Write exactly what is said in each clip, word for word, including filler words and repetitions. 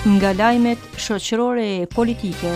Nga lajmet shoqërore e politike.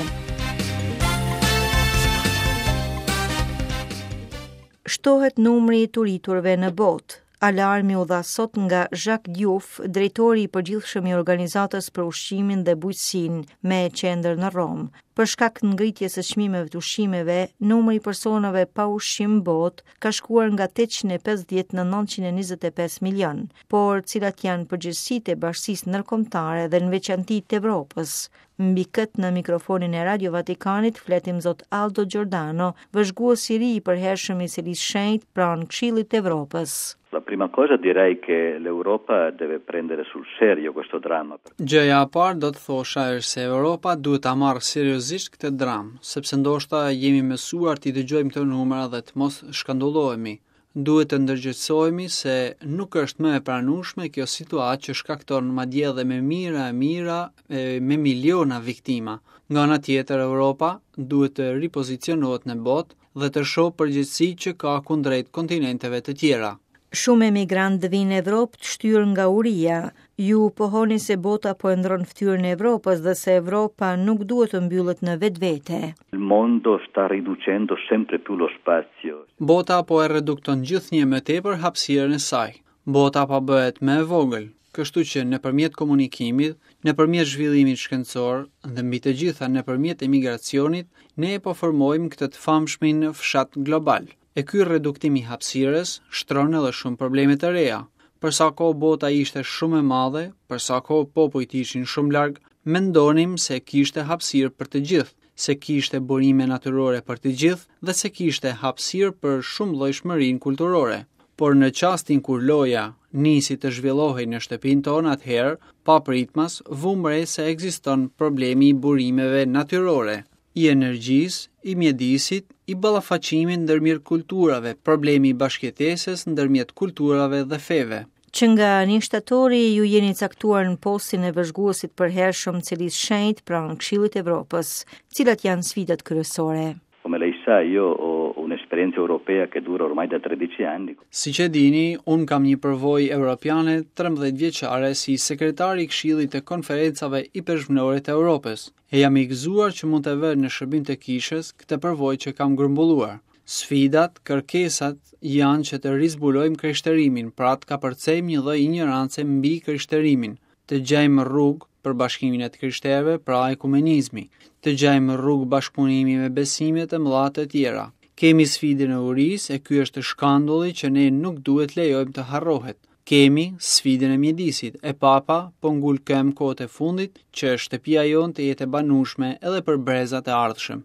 Shtohet numri i të uriturve në botë. Alarmi u dha sot nga Jacques Diouf, drejtori i përgjithshëm i Organizatës për Ushqimin dhe Bujqësinë me qendër në Romë. Për shkak të ngritjes së çmimeve të ushqimeve, numri i personave pa ushqim në botë ka shkuar nga tetëqind e pesëdhjetë në nëntëqind e njëzet e pesë milion. Por cilat janë përgjegjësitë e bashkësisë ndërkombëtare dhe në veçanti të Evropës? Mbi këtë në mikrofonin e Radio Vatikanit fletim zot Aldo Giordano, vëzhgues i ri i përhershëm i Selisë Shenjtë pranë Këshillit të Evropës. La prima cosa direi che l'Europa deve prendere sul serio questo dramma. Gjëja e parë do të thosha është se Europa duhet ta marrë seriozisht këtë dramë, sepse ndoshta jemi mësuar t'i dëgjojmë këto numra dhe të mos shkandullohemi. Duhet të ndërgjegjësohemi se nuk është më e pranueshme kjo situatë që shkakton madje edhe me mijëra e mijëra, e, me miliona viktima. Nga ana tjetër, Europa duhet të ripozicionohet në botë dhe të shohë përgjegjësitë që ka kundrejt kontinenteve të tjera. Shumë emigrantë vinë në Evropë të shtyrë nga uria. Ju pohoni se bota po e ndron fytyrën e Evropës dhe se Evropa nuk duhet të mbyllet në vetvete. Il mondo sta riducendo sempre più lo spazio. Bota po e redukton gjithnjë më tepër hapësirën e saj. Bota po bëhet më e vogël, kështu që nëpërmjet komunikimit, nëpërmjet zhvillimit shkencor dhe mbi të gjitha nëpërmjet emigracionit, ne po formojmë këtë të famshmin fshat global. E ky reduktim i hapësirës shtron edhe shumë probleme të reja. Për sa kohë bota ishte shumë e madhe, për sa kohë popujt ishin shumë larg, mendonim se kishte hapësirë për të gjithë, se kishte burime natyrore për të gjithë dhe se kishte hapësirë për shumë llojshmërinë kulturore. Por në çastin kur loja nisi të zhvillohej në shtëpinë tonë atëherë, papritmas, vumë re se ekziston problemi i burimeve natyrore, i energjisë, i mjedisit, i ballafaqimit ndërmjet kulturave, problemi i bashkëjetesës ndërmjet kulturave dhe feve. Që nga një shtatori ju jeni caktuar në postin e vëzhguesit përhershëm të Selisë Shenjtë pranë Këshillit të Evropës. Cilat janë sfidat kryesore? Come lei sa, io ho un'esperienza europea che dura ormai da tredici anni. Siç e dini, unë kam një përvojë europiane trembëdhjetë vjeçare si sekretari i Këshillit të Konferencave Ipeshkvnore të Evropës. E jam i gëzuar që mund të vë në shërbim të kishës këtë përvojë që kam grumbulluar. Sfidat, kërkesat janë që të rizbulojmë krishterimin, pra të kapërcejmë një lloj ignorance mbi krishterimin, të gjejmë rrugë për bashkimin e të krishterëve, pra ekumenizmi, të gjejmë rrugë bashkëpunimi me besimet e mëdha të tjera. Kemi sfidën e urisë, e ky është shkandulli që ne nuk duhet lejojmë të harrohet. Kemi sfidën e mjedisit, e Papa po ngul këmbë kohët e fundit që shtëpia jonë të jetë e banueshme edhe për brezat e ardhshëm.